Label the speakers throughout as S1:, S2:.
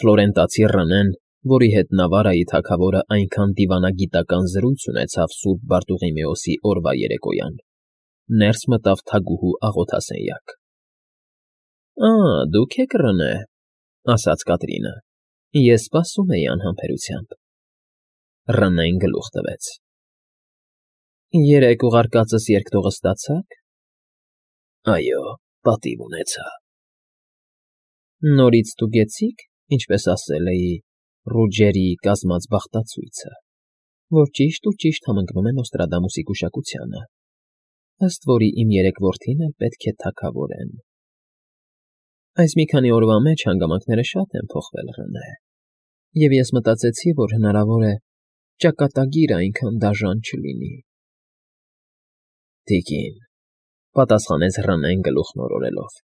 S1: Ֆլորենտացի Ռենեն, որի հետ Նավարայի թագավորը այնքան դիվանագիտական զրույց ունեցավ սուրբ Բարտուղիմեոսի օրվա երեկոյան, ներս մտավ թագուհու աղոթասենյակ։ ֊ Դուք եք Ռենե,֊ ասաց Կատրինը։ Ես սպասում էի անհամբերությամբ։ Ռենեն գլուխ տվեց։ ֊ Երեկ ուղարկածս երկտողը ստացա՞ք։ ֊ Այո, պատիվ ունեցա։ ֊ Նորից ստուգեցի՞ք, ինչպես ասել էի, Ռուջերի կազմած բախտացույցը, որ ճիշտ ու ճիշտ համընկնում է Նոստրադամուսի գուշակությանը, ըստ որի իմ երեք որդին էլ պետք է թագավորեն։ Այս մի քանի օրվա մեջ հանգամանքները շատ են փոխվել, Ռենե, և ես մտածեցի, որ հնարավոր է ճակատագիրը այնքան դաժան չլինի։ Տիկին,֊ պատասխանեց Ռենեն գլուխն օրորելով,֊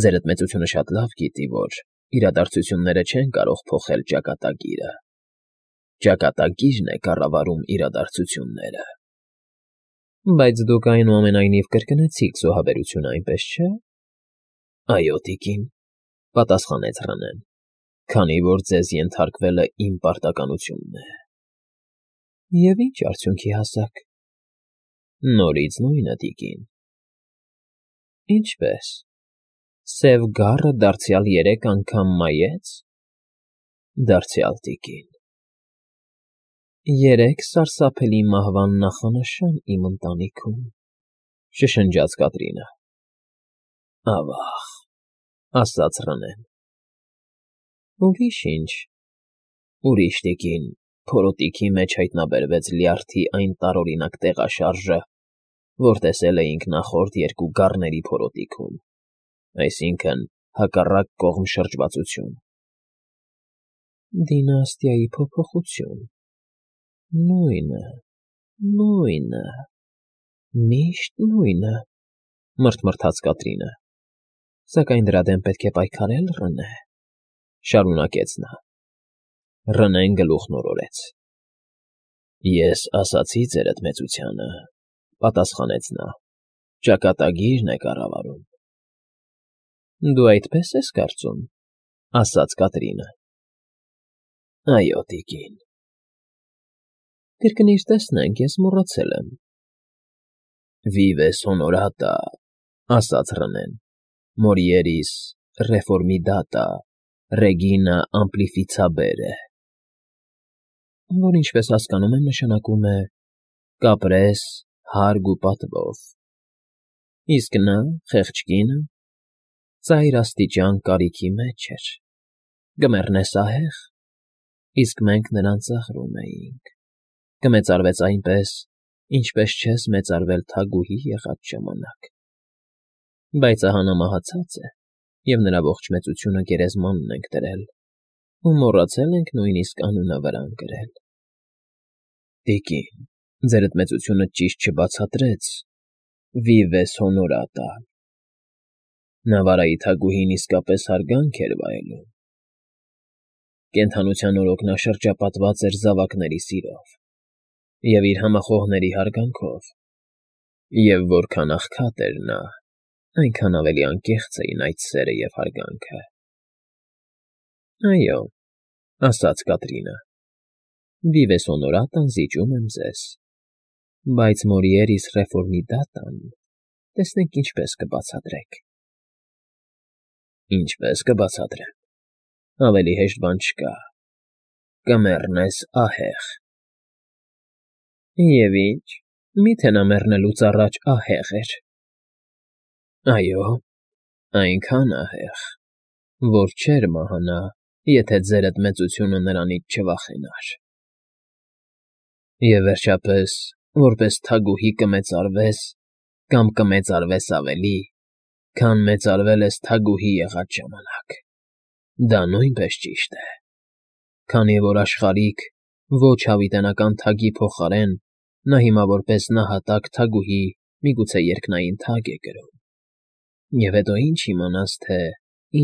S1: ձերդ մեծությունը շատ լավ գիտի, որ իրադարձությունները չեն կարող փոխել ճակատագիրը։ Ճակատագիրն է կառավարում իրադարձությունները։ ֊ Բայց դուք այնուամենայնիվ կրկնեցիք զոհաբերությունը, այնպես չէ՞։ ֊ Այո, տիկին,֊ պատասխանեց Ռենեն,֊ քանի որ ձեզ ենթարկվելը իմ պարտականությունն է։ ֊ Եվ ի՞նչ արդյունքի հասաք։ ֊ Նորից նույնը, տիկին։ ֊ Ինչպե՞ս, Սև Գառը դարձյալ 3 անգամ մայեց։ ֊ Դարձյալ, տիկին։ ֊ 3 սարսափելի մահվան նախանշան իմ ընտանիքում,֊ շշնջաց Կատրինը։ ֊ Ավա՜ղ,֊ ասաց Ռենեն։ ֊ Ուրիշ ինչ։ ֊ Ուրիշ, տիկին, փորոտիքի մեջ հայտնաբերվեց լյարդի այն տարօրինակ տեղաշարժը, որ տեսել էինք նախորդ 2 գառների փորոտիքում, այսինքն՝ հակառակ կողմ շրջվածություն։ ֊ Դինաստիայի փոփոխություն… Նույնը, նույնը, միշտ նույնը,֊ մռթմռթաց Կատրինը։ ֊ Սակայն դրա դեմ պետք է պայքարել, Ռենե,֊ շարունակեց նա։ Ռենեն գլուխն օրորեց։ ֊ Ես ասացի ձերդ մեծությանը,֊ պատասխանեց նա,֊ ճակատագիրն է կառավարում։ ֊ Դու այդպես ես կարծում,֊ ասաց Կատրինը։ ֊ Այո, տիկին։ ֊ Կրկնիր տեսնենք, ես մոռացել եմ։ ֊ Vives honorata,֊ ասաց Ռենեն,֊ Morieris reformidata, regina amplificabere… Որ ինչպես հասկանում եմ, նշանակում է կապրես հարգ ու պատվով։ Իսկ նա, խեղճ կինը, ծայր աստիճան կարիքի մեջ էր, կմեռնե սահեղ, իսկ մենք նրան ծաղրում էինք, կմեծարվեց այնպես, ինչպես չես մեծարվել թագուհի եղած ժամանակ։ Բայց ահա նա մահացած է, և նրա ողջ մեծությունը գերեզմանն ենք դրել, ու մոռացել ենք նույնիսկ անունը վրան գրել։ ֊ Տիկին, ձերդ մեծությունը ճիշտ չբացատրեց vives honorata… Նավարայի թագուհին իսկապես հարգանք էր վայելում։ Կենդանության օրոք նա շրջապատված էր զավակների սիրով և իր համախոհների հարգանքով, և որքան աղքատ էր նա, այնքան ավելի անկեղծ էին այդ սերը և հարգանքը։ ֊ Այո,֊ ասաց Կատրինը,֊ vives honorata-ն զիջում եմ ձեզ, բայց Morieris reformidata-ն տեսնենք ինչպես կբացատրեք։ ֊ Ինչպես կբացատրեմ, ավելի հեշտ բան չկա, կմեռնես ահեղ։ ֊ Եվ ի՞նչ, մի՞թե նա մեռնելուց առաջ ահեղ էր։ ֊ Այո, այնքան ահեղ, որ չէր մահանա, եթե ձերդ մեծությունը նրանից չվախենար։ ֊ Եվ վերջապես, որպես թագուհի կմեծարվես կամ կմեծարվես ավելի, քան մեծարվել ես թագուհի եղած ժամանակ, դա նույնպես ճիշտ է, քանի որ աշխարհիկ ոչ հավիտենական թագի փոխարեն նա հիմա որպես նահատակ թագուհի միգուցե երկնային թագ է կրում, և հետո ինչ իմանաս, թե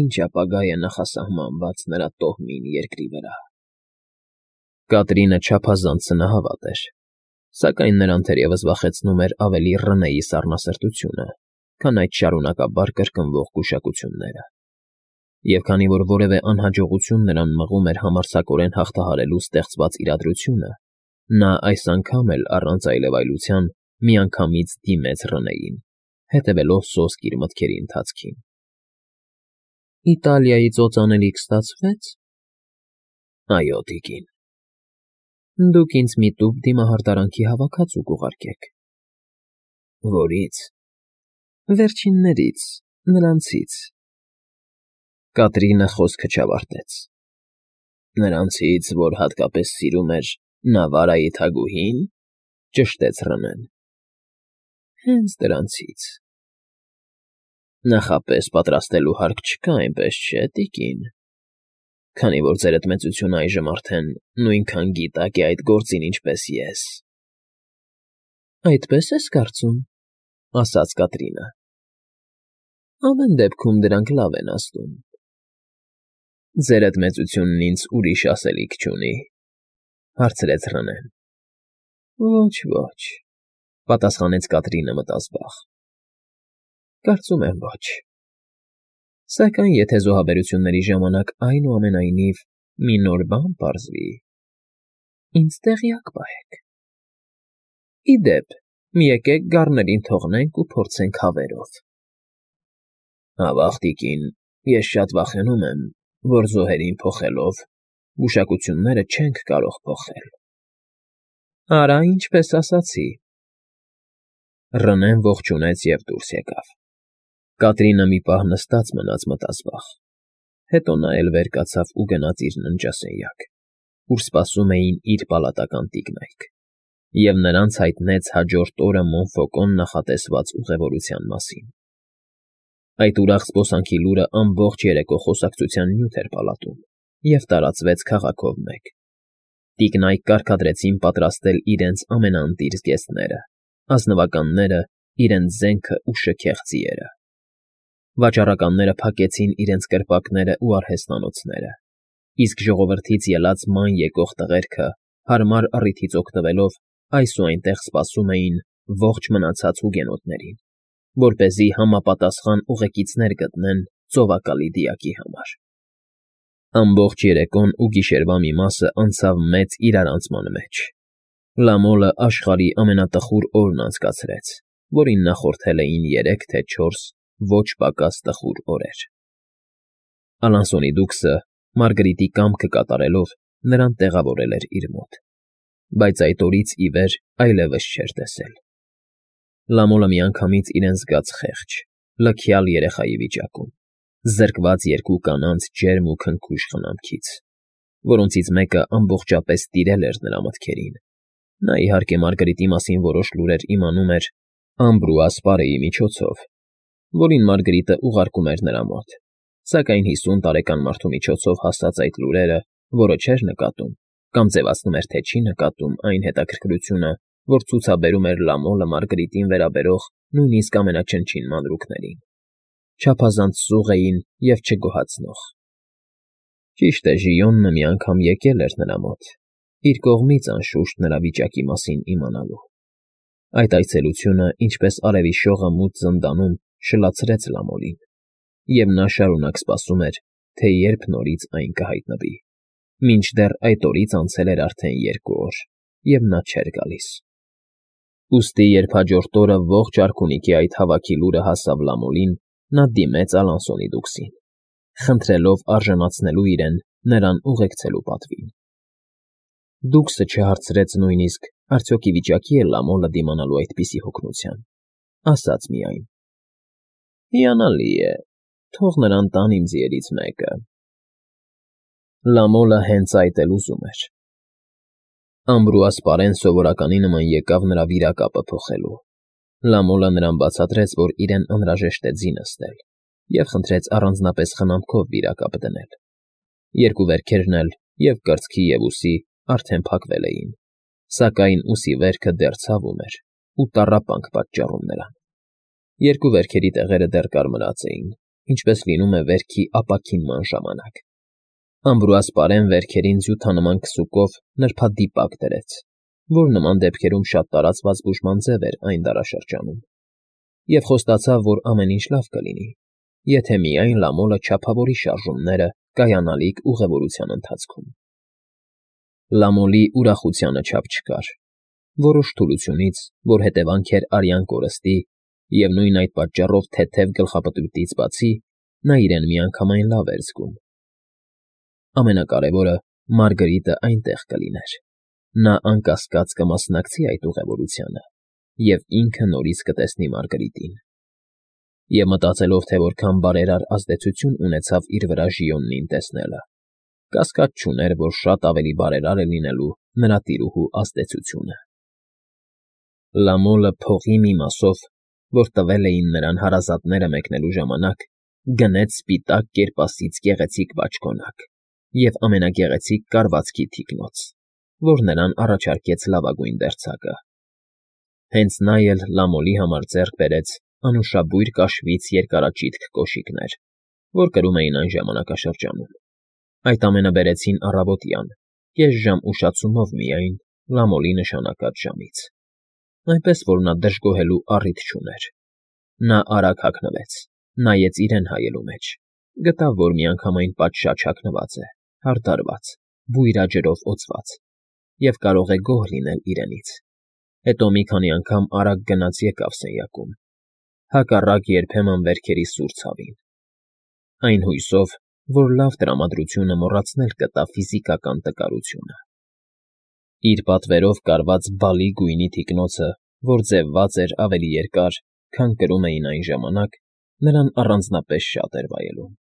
S1: ինչ ապագա է նախասահմանված նրա տոհմին երկրի վրա։ Կատրինը չափազանց սնահավատ էր, սակայն նրան թերևս վախեցնում էր ավելի Ռնեի սառնասրտությունը, քան այդ շարունակաբար կրկնվող գուշակությունները։ Եվ քանի որ որևէ անհաջողություն նրան մղում էր համարձակորեն հաղթահարելու ստեղծված իրադրությունը, նա այս անգամ էլ առանց այլևայլության միանգամից դիմեց Ռնեին, հետևելով սոսկ իր մտքերի ընթացքին։ Իտալիայից օծանելիք ստացվե՞ց։ Այո, տիկին։ Դուք ինձ մի տուփ դիմահարդարանքի հավաքածու կուղարկեք։ Որից։ Վերջիններից, նրանցից։ Կատրինը խոսքը չավարտեց։ Նրանցից, որ հատկապես սիրում էր Նավարայի թագուհի՞ն, ճշտեց Ռնեն։ Հենց դրանցից։ Նախապես պատրաստելու հարկ չկա, այնպես չէ, տիկին, քանի որ ձերդ մեծությունը այժմ արդեն նույնքան գիտակ է այդ գործին, ինչպես ես։ Այդպես ես կարծում, ասաց Կատրինը։ Ամեն դեպքում դրանք լավ են աստում։ Ձերդ մեծությունն ինձ ուրիշ ասելիք չունի, հարցրեց Ռնեն։ Ոչ, պատասխանեց Կատրինը մտազբաղ։ Կարծում եմ ոչ։ Սակայն եթե զոհաբերությունների ժամանակ այնուամենայնիվ մի նոր բան պարզվի, ինձ տեղյակ պահեք։ Ի դեպ, մի եկեք գառներին թողնենք ու փորձենք հավերով։ Ավաղ, տիկին, ես շատ վախենում եմ, որ զոհերին փոխելով գուշակությունները չենք կարող փոխել։ Արա, ինչպես ասացի։ Ռնեն ողջունեց և դուրս եկավ։ Կատրինը մի պահ նստած մնաց մտազբաղ, հետո նա էլ վեր կացավ ու գնաց իր ննջասենյակ, ուր սպասում էին իր պալատական տիկնայք, և նրանց հայտնեց հաջորդ օրը Մոնֆոկոն նախատեսված ուղևորության մասին։ Այդ ուրախ զբոսանքի լուրը ամբողջ երեկո խոսակցության նյութ էր պալատում և տարածվեց քաղաքով մեկ։ Տիկնայք կարգադրեցին պատրաստել իրենց ամենաընտիր զգեստները, ազնվականները, իրենց զենքը ու շքեղ ձիերը։ Վաճառականները փակեցին իրենց կրպակները ու արհեստանոցները, իսկ ժողովրդից ելած ման եկող տղերքը, հարմար առիթից օգտվելով, այս ու այնտեղ սպասում էին ողջ մնացած հուգենոտներին, որպեսզի համապատասխան ուղեկիցներ գտնեն ծովակալի դիակի համար։ Ամբողջ երեկոն ու գիշերվա մի մասը անցավ մեծ իրարանցման մեջ։ Լամոլը աշխարհի ամենատխուր օրն անցկացրեց, որին նախորդել էին 3 թե 4 ոչ պակաս տխուր օրեր։ Ալանսոնի դուքսը, Մարգարիտի կամքը կատարելով, նրան տեղավորել էր իր մոտ, բայց այդ օրից ի վեր այլևս չէր տեսել։ Լամոլը միանգամից իրեն զգաց խեղճ, լքյալ երեխայի վիճակում, զրկված 2 կանանց ջերմ ու քնքուշ խնամքից, որոնցից մեկը ամբողջապես տիրել էր նրա մտքերին։ Նա, իհարկե, Մարգարիտի մասին որոշ լուրեր իմանում էր Ամբրուաս միջոցով, որին Մարգարիտը ուղարկում էր նրա մոտ, սակայն 50 տարեկան մարդու միջոցով հասած այդ լուրերը, որը չէր նկատում, կամ ձևացնում էր, թե չի նկատում այն հետաքրքրությունը, որ ցուցաբերում էր Լամոլը Մարգարիտին վերաբերող նույնիսկ ամենաչնչին մանրուքներին, չափազանց սուղ էին և չգոհացնող։ Ճիշտ է, Ժիոնը մի անգամ եկել էր նրա մոտ, իր կողմից անշուշտ նրա վիճակի մասին իմանալու։ Այդ այցելությունը, ինչպես արևի շողը մութ զնդանում, շլացրեց Լամոլին, և նա շարունակ սպասում էր, թե երբ նորից այն կհայտնվի, մինչդեռ այդ օրից անցել էր արդեն 2 օր, և նա չէր գալիս։ Ուստի, երբ հաջորդ օրը ողջ արքունիքի այդ հավաքի լուրը հասավ Լամոլին, նա դիմեց Ալանսոնի դուքսին, խնդրելով արժանացնելու իրեն նրան ուղեկցելու պատվին։ Դուքսը չհարցրեց նույնիսկ, արդյոք ի վիճակի է Լամոլը դիմանալու այդպիսի հոգնության, ասաց միայն. Հիանալի է, թող նրան տան իմ ձիերից մեկը։ Լամոլը հենց այդ էլ ուզում էր։ Ամբրուասպարեն սովորականի նման եկավ նրա վիրակապը փոխելու։ Լամոլը նրան բացատրեց, որ իրեն անհրաժեշտ է ձի նստել, և խնդրեց առանձնապես խնամքով վիրակապ դնել։ 2 վերքերն էլ, և կրծքի և ուսի, արդեն փակվել էին, սակայն ուսի վերքը դեռ ցավում էր ու տառապանք պատճառում նրան։ 2 վերքերի տեղերը դեռ կարմրած էին, ինչպես լինում է վերքի ապաքինման ժամանակ։ Ամբրուասպարեն վերքերին զյութանման քսուկով նրբադիպակ դրեց, որ նման դեպքերում շատ տարածված բուժման ձև էր այն դարաշրջանում, և խոստացավ, որ ամեն ինչ լավ կլինի, եթե միայն Լամոլը չափավորի շարժումները կայանալիք ուղևորության ընթացքում։ Լամոլի ուրախությանը չափ չկար։ Որոշ թուլությունից, որ հետևանք էր արյան կորստի, և նույն այդ պատճառով թեթև գլխապտույտից բացի, նա իրեն միանգամայն լավ էր զգում։ Ամենակարևորը Մարգրիտը այնտեղ կլիներ։ Նա անկասկած կմասնակցի այդ ուղևորությանը և ինքը նորից կտեսնի Մարգրիտին։ Եվ մտածելով, թե որքան բարերար ազդեցություն ունեցավ իր վրա Ժիոնին տեսնելը, կասկած չուներ, որ շատ ավելի բարերար է լինելու նրա տիրուհու ազդեցությունը։ Լամոլը փողի մի մասով, որ տվել էին նրան հարազատները մեկնելու ժամանակ, գնեց սպիտակ կերպասից գեղեցիկ բաճկոնակ և ամենագեղեցիկ կարվածքի թիկնոց, որ նրան առաջարկեց լավագույն դերձակը։ Հենց նա էլ Լամոլի համար ձեռք բերեց անուշաբույր կաշվից երկարաճիտ կոշիկներ, որ կրում էին այն ժամանակաշրջանում։ Այդ ամենը բերեցին առավոտյան, կես ժամ ուշացումով միայն Լամոլի նշանակած ժամից, այնպես որ նա դժգոհելու առիթ չուներ։ Նա արագ հագնվեց, նայեց իրեն հայելու մեջ, գտավ, որ միանգամայն պատշաճ հագնված է, հարդարված, բույրաջրով օծված, և կարող է գոհ լինել իրենից։ Հետո մի քանի անգամ արագ գնաց֊եկավ սենյակում, հակառակ երբեմն վերքերի սուր ցավին, այն հույսով, որ լավ տրամադրությունը մոռացնել կտա ֆիզիկական տկարությունը։ Իր պատվերով կարված բալի գույնի թիկնոցը, որ ձևված էր ավելի երկար, քան կրում էին այն ժամանակ, նրան առանձնապես շատ էր վայելում։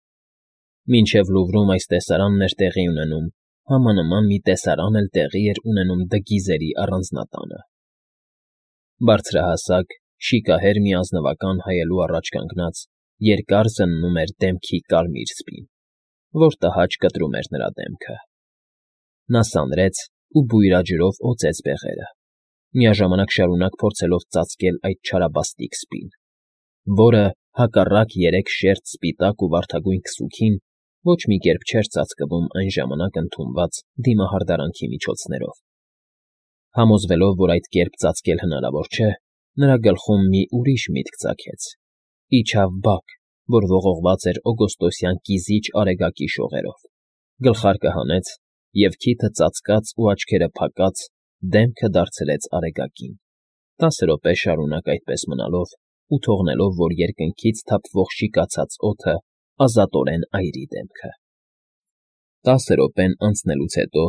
S1: Մինչև Լուվրում այս տեսարանն էր տեղի ունենում, համանման մի տեսարան էլ տեղի էր ունենում Դգիզերի առանձնատանը։ Բարձրահասակ, շիկահեր մի ազնվական հայելու առաջ կանգնած, երկար զննում էր դեմքի կարմիր սպին, որ տհաճ կտրում էր նրա դեմքը։ Նա սանրեց ու բույրաջրով օծեց բեղերը, միաժամանակ շարունակ փորձելով ծածկել այդ չարաբաստիկ սպին, որը, հակառակ երեք շերտ սպիտակ ու վարդագույն քսուքին, ոչ մի կերպ չէր ծածկվում այն ժամանակ ընդունված դիմահարդարանքի միջոցներով։ Համոզվելով, որ այդ կերպ ծածկել հնարավոր չէ, նրա գլխում մի ուրիշ միտք ծագեց. իջավ բակ, որ ողողված էր օգոստոսյան կիզիչ արեգակի շողերով, գլխարկը հանեց և քիթը ծածկած ու աչքերը փակած դեմքը դարձրեց արեգակին, 10 րոպե շարունակ այդպես մնալով ու թողնելով, որ երկնքից թափվող շիկացած օդը ազատորեն այրի դեմքը։ 10 րոպեն անցնելուց հետո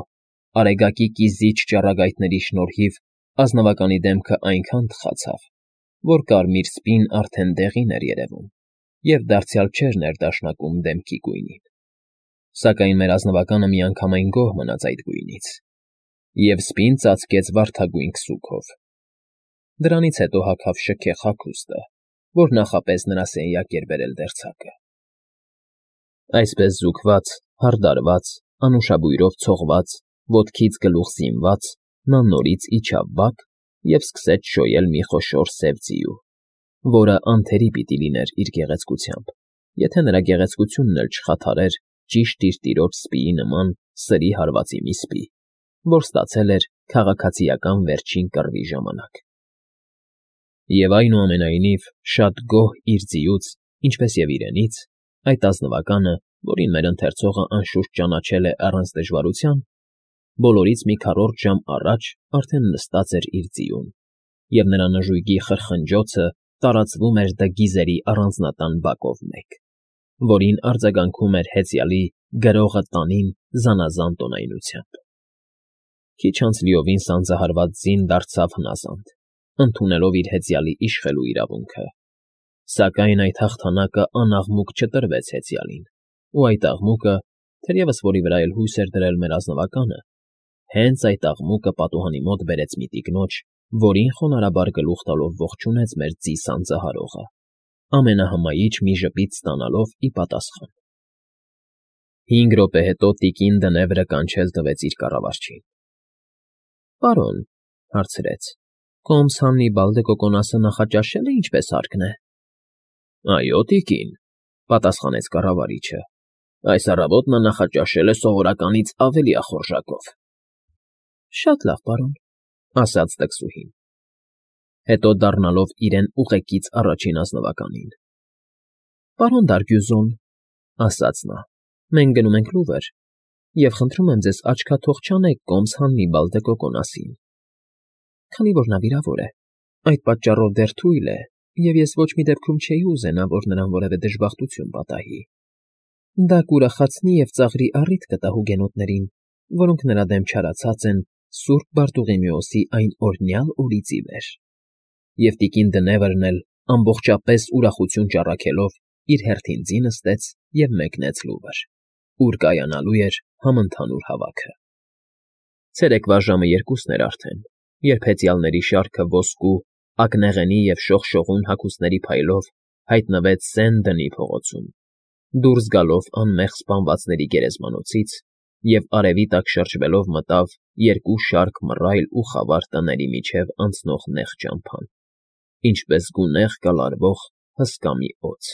S1: արեգակի կիզիչ ճառագայթների շնորհիվ ազնվականի դեմքը այնքան թխացավ, որ կարմիր սպին արդեն դեղին էր երևում և դարձյալ չէր ներդաշնակում դեմքի գույնին։ Սակայն մեր ազնվականը միանգամայն գոհ մնաց այդ գույնից և սպին ծածկեց վարդագույն քսուքով։ Դրանից հետո հագավ շքեղ հագուստը, որ նախապես նրա սենյակ էր բերել դերձակը։ Այսպես զուգված, հարդարված, անուշաբույրով ցողված, ոտքից գլուխ զինված, նա նորից իջավ բակ և սկսեց շոյել մի խոշոր սև ձիու, որը անթերի պիտի լիներ իր գեղեցկությամբ, եթե նրա գեղեցկությունն էլ չխաթարեր ճիշտ իր տիրոջ սպիի նման սրի հարվածի մի սպի, որ ստացել էր քաղաքացիական վերջին կռվի ժամանակ։ Եվ այնուամենայնիվ, շատ գոհ իր ձիուց, ինչպես և իրենից, այդ ազնվականը, որին մեր ընթերցողը անշուշտ ճանաչել է առանց դժվարության, բոլորից մի քառորդ ժամ առաջ արդեն նստած էր իր ձիուն, և նրա նժույգի խրխնջոցը տարածվում էր Դգիզերի առանձնատան բակով մեկ, որին արձագանքում էր հեծյալի գրողը տանին զանազան տոնայնությամբ։ Քիչ անց լիովին սանձահարված ձին դարձավ հնազանդ, ընդունելով իր հեծյալի իշխելու իրավունքը, սակայն այդ հաղթանակը անաղմուկ չտրվեց հեծյալին, ու այդ աղմուկը, թերևս որի վրա էլ հույս էր դրել մեր ազնվականը, հենց այդ աղմուկը պատուհանի մոտ բերեց մի տիկնոջ, որին խոնարհաբար գլուխ տալով ողջունեց մեր ձի սանձահարողը, ամենահմայիչ մի ժպիտ ստանալով ի պատասխան։ 5 րոպե հետո տիկին դնևրը կանչել տվեց իր կառավարչին։ ֊ Պարոն,֊ հարցրեց,֊ Կոմս Հաննիբալ դե Կոկոնասը նախաճաշել է ինչպես հարկն է։ ֊ Այո, տիկին,֊ պատասխանեց կառավարիչը,֊ այս առավոտ նա նախաճաշել է սովորականից ավելի ախորժակով։ ֊ Շատ լավ, պարոն,֊ ասաց տկսուհին։ Հետո դառնալով իրեն ուղեկից առաջին ազնվականին. Պարոն Դարգյուզոն, ֊ ասաց նա, ֊ մենք գնում ենք Լուվր, և խնդրում եմ ձեզ աչքաթող չանեք կոմս Հաննիբալ դե Կոկոնասին, քանի որ նա վիրավոր է, այդ պատճառով դեռ թույլ է, և ես ոչ մի դեպքում չէի ուզենա, որ նրան որևէ դժբախտություն պատահի. դա կուրախացնի և ծաղրի առիթ կտա հուգենոտներին, որոնք նրա դեմ չարացած են սուրբ Բարտուղիմեոսի այն օրհնյալ օրից ի վեր։ Եվ տիկին Դնևրն էլ ամբողջապես ուրախություն ճառագելով իր հերթին ձի նստեց և մեկնեց Լուվր, ուր կայանալու էր համընդհանուր հավաքը։ Ցերեկվա ժամը 2-ն էր արդեն, երբ հեծյալների շարքը ոսկու, ակնեղենի և շողշողուն հագուստների փայլով հայտնվեց Սեն Դնի փողոցում, դուրս գալով անմեղ սպանվածների գերեզմանոցից և արևի տակ շրջվելով մտավ երկու շարք մռայլ ու խավար տների միջև անցնող նեղ ճամփան, ինչպես գունեղ կլարվող հսկա մի օձ։